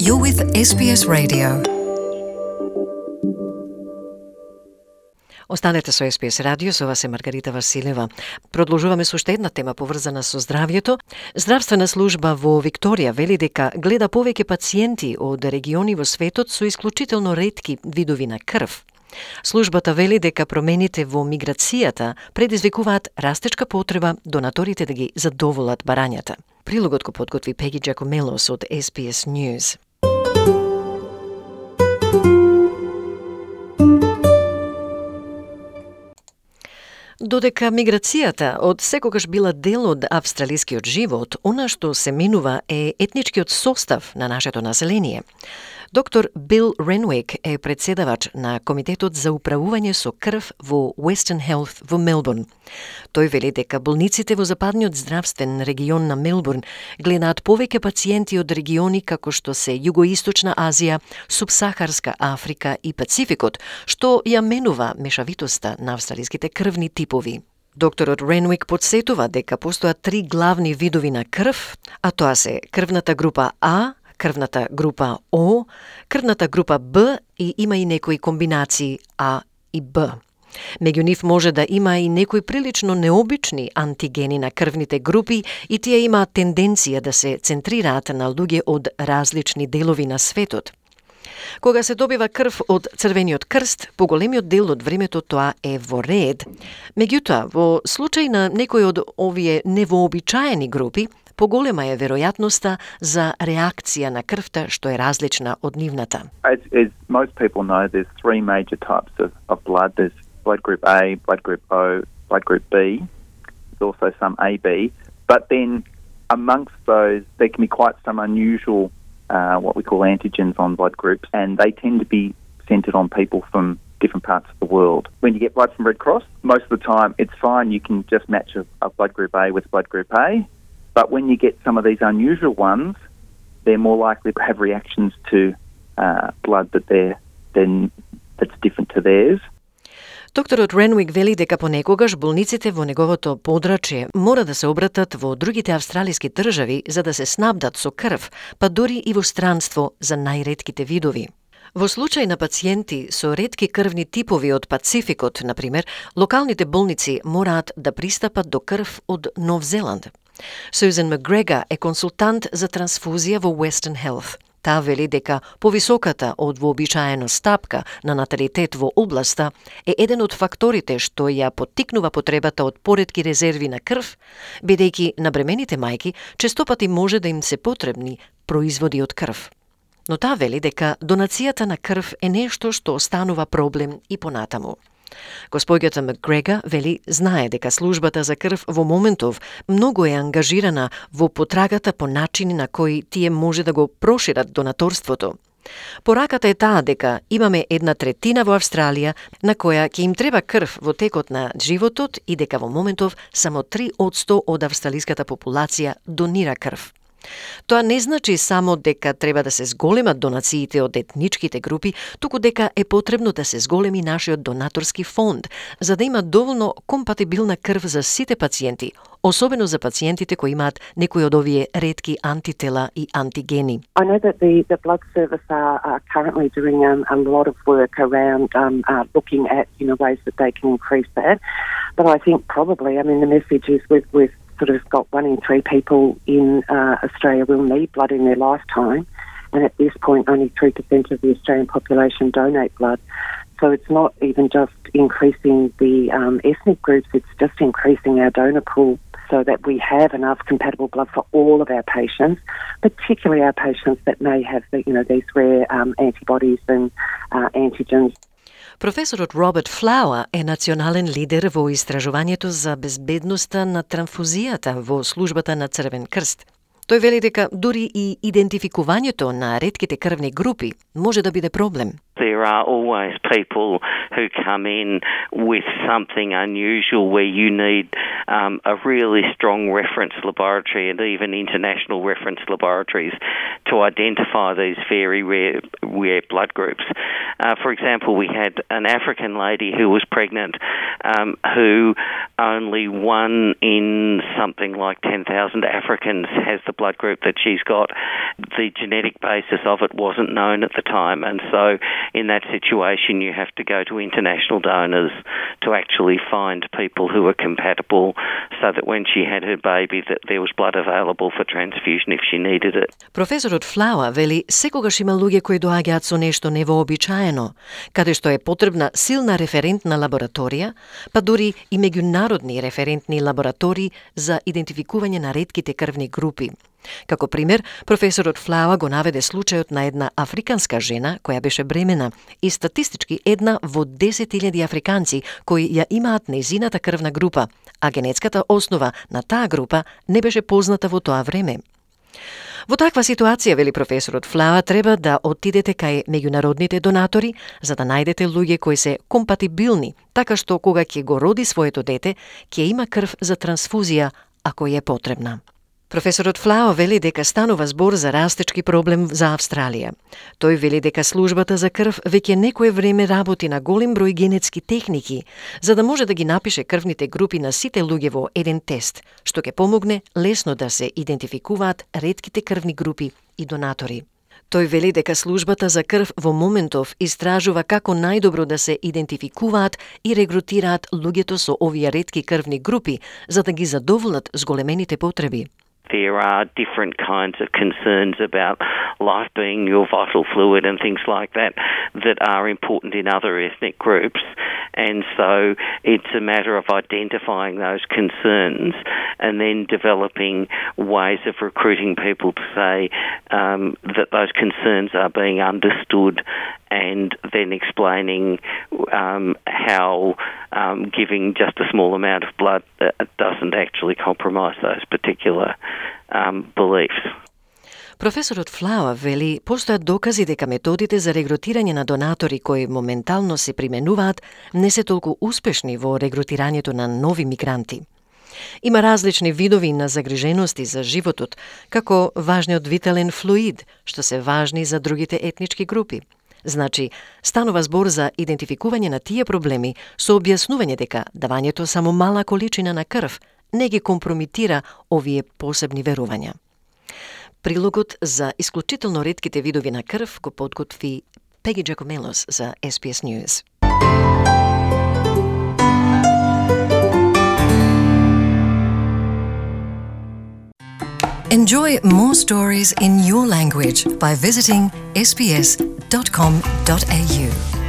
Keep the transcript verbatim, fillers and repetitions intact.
You're with Ес Би Ес Radio. Останете со Ес Би Ес радио, со вас е Маргарита Василева. Продолжуваме со уште една тема поврзана со здравјето. Здравствена служба во Викторија вели дека гледа повеќе пациенти од региони во светот со исклучително ретки видови на крв. Службата вели дека промените во миграцијата предизвикуваат растечка потреба донаторите да ги задоволат барањата. Прилогот го подготви Пеги Джакомелос од Ес Би Ес News. Додека миграцијата од секогаш била дел од австралискиот живот, она што се минува е етничкиот состав на нашето население. Доктор Бил Ренвик е председавач на Комитетот за управување со крв во Western Health во Мелбурн. Тој вели дека болниците во западниот здравствен регион на Мелбурн гледаат повеќе пациенти од региони како што се Југоисточна Азија, Субсахарска Африка и Пацификот, што ја менува мешавитоста на австралиските крвни типови. Докторот Ренвик подсетува дека постојат три главни видови на крв, а тоа се крвната група А, крвната група О, крвната група Б и има и некои комбинации А и Б. Меѓу нив може да има и некои прилично необични антигени на крвните групи и тие имаат тенденција да се центрираат на луѓе од различни делови на светот. Кога се добива крв од Црвениот крст, поголемиот дел од времето тоа е во ред. Меѓутоа, во случај на некои од овие невообичаени групи, поголема е веројатноста за реакција на крвта што е различна од нивната. As, as most people know, there's three major types of, of blood. There's blood group A, blood group O, blood group B. There's also some A B. But then amongst those, there can be quite some unusual, uh, what we call antigens on blood groups, and they tend to be centred on people from different parts of the world. When you get blood from Red Cross, most of the time it's fine. You can just match a, a blood group A with blood group A. But when you get some of these unusual ones, they're more likely to have reactions to uh, blood that they're, then that's different to theirs. Докторот Ренвик вели дека понекогаш болниците во неговото подрачје мора да се обратат во другите австралиски држави за да се снабдат со крв, па дури и во странство за најретките видови. Во случај на пациенти со ретки крвни типови од Пацификот, например, локалните болници мораат да пристапат до крв од Нов Зеланд. Сюзан Макгрегор е консултант за трансфузија во Western Health. Таа вели дека повисоката од вообичаено стапка на наталитет во областа е еден од факторите што ја поттикнува потребата од поретки резерви на крв, бидејќи на бремените мајки честопати може да им се потребни производи од крв. Но таа вели дека донацијата на крв е нешто што останува проблем и понатаму. Господјата Макгрегор вели знае дека службата за крв во моментов многу е ангажирана во потрагата по начини на кои тие може да го прошират донаторството. Пораката е таа дека имаме една третина во Австралија на која ќе им треба крв во текот на животот и дека во моментов само три одсто од австралиската популација донира крв. Тоа не значи само дека треба да се зголемат донациите од етничките групи, туку дека е потребно да се зголеми нашиот донаторски фонд, за да има доволно компатибилна крв за сите пациенти, особено за пациентите кои имаат некои од овие ретки антитела и антигени. I know that the, the blood service are, are currently doing um, a lot of work around um, uh, looking at you know ways that they can increase that, but I think probably, I mean, the message is with with sort of got one in three people in uh, Australia will need blood in their lifetime, and at this point only three percent of the Australian population donate blood. So it's not even just increasing the um, ethnic groups, it's just increasing our donor pool so that we have enough compatible blood for all of our patients, particularly our patients that may have the, you know, these rare um, antibodies and uh, antigens. Професорот Роберт Флауер е национален лидер во истражувањето за безбедноста на транфузијата во службата на Црвен крст. Тој вели дека дури и идентификувањето на ретките крвни групи може да биде проблем. There are always people who come in with something unusual where you need um, a really strong reference laboratory and even international reference laboratories to identify these very rare, rare blood groups. Uh, for example, we had an African lady who was pregnant um, who only one in something like ten thousand Africans has the blood group that she's got. The genetic basis of it wasn't known at the time, and so in that situation you have to go to international donors to actually find people who are compatible so that when she had her baby that there was blood available for transfusion if she needed it. Професорот Флауа вели секогаш има луѓе кои доаѓаат со нешто невообичаено, каде што е потребна силна референтна лабораторија, па дури и меѓународни референтни лаборатории за идентификување на ретките крвни групи. Како пример, професорот Флауа го наведе случајот на една африканска жена која беше бремена и статистички една во десет илјади африканци кои ја имаат нејзината крвна група, а генетската основа на таа група не беше позната во тоа време. Во таква ситуација, вели професорот Флауа, треба да отидете кај меѓународните донатори за да најдете луѓе кои се компатибилни, така што кога ќе го роди своето дете, ќе има крв за трансфузија ако е потребна. Професорот Флауа вели дека станува збор за растечки проблем за Австралија. Тој вели дека службата за крв веќе некое време работи на голем број генетски техники, за да може да ги напише крвните групи на сите луѓе во еден тест, што ќе помогне лесно да се идентификуваат ретките крвни групи и донатори. Тој вели дека службата за крв во моментов истражува како најдобро да се идентификуваат и регрутираат луѓето со овие ретки крвни групи, за да ги задоволат зголемените потреби. There are different kinds of concerns about life being your vital fluid and things like that that are important in other ethnic groups. And so it's a matter of identifying those concerns and then developing ways of recruiting people to say um, that those concerns are being understood, and then explaining um, how um, giving just a small amount of blood uh, doesn't actually compromise those particular um, beliefs. Професорот Флауа вели постојат докази дека методите за регрутирање на донатори кои моментално се применуваат не се толку успешни во регрутирањето на нови мигранти. Има различни видови на загрижености за животот, како важниот витален флуид, што се важни за другите етнички групи. Значи, станува збор за идентификување на тие проблеми со објаснување дека давањето само мала количина на крв не ги компромитира овие посебни верувања. Прилогот за исклучително ретките видови на крв го подготви Пеги Джакомелос за Ес Би Ес News. Enjoy more stories in your language by visiting s b s dot com dot a u.